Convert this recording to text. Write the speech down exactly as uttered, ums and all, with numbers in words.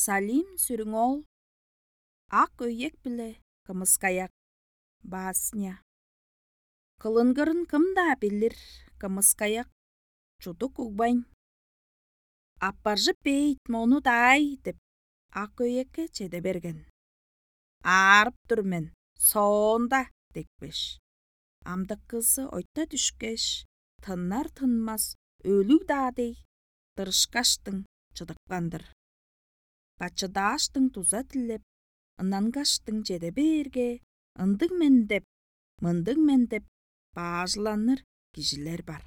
Салим Сүрүң-оол. «Ак өйек биле кымыскаяк». Басня. Кылынгырын кым-даа билир, кымыскаяк чудук угбайн. «Аппаржып бээйт мону-даай» деп, ак өйекке чеде берген. «Аарып тур мен, соонда» декпеш, амдыккызы ойта дүшкеш, тыннар-тынмас өлүг-даа дег, дырышкаштың чыдыпкан-дыр. Бачыдааштың дуза дилеп, ынангаштың чеде бээрге, ындыг мен деп, мындыг мен деп баажыланыр кижилер бар.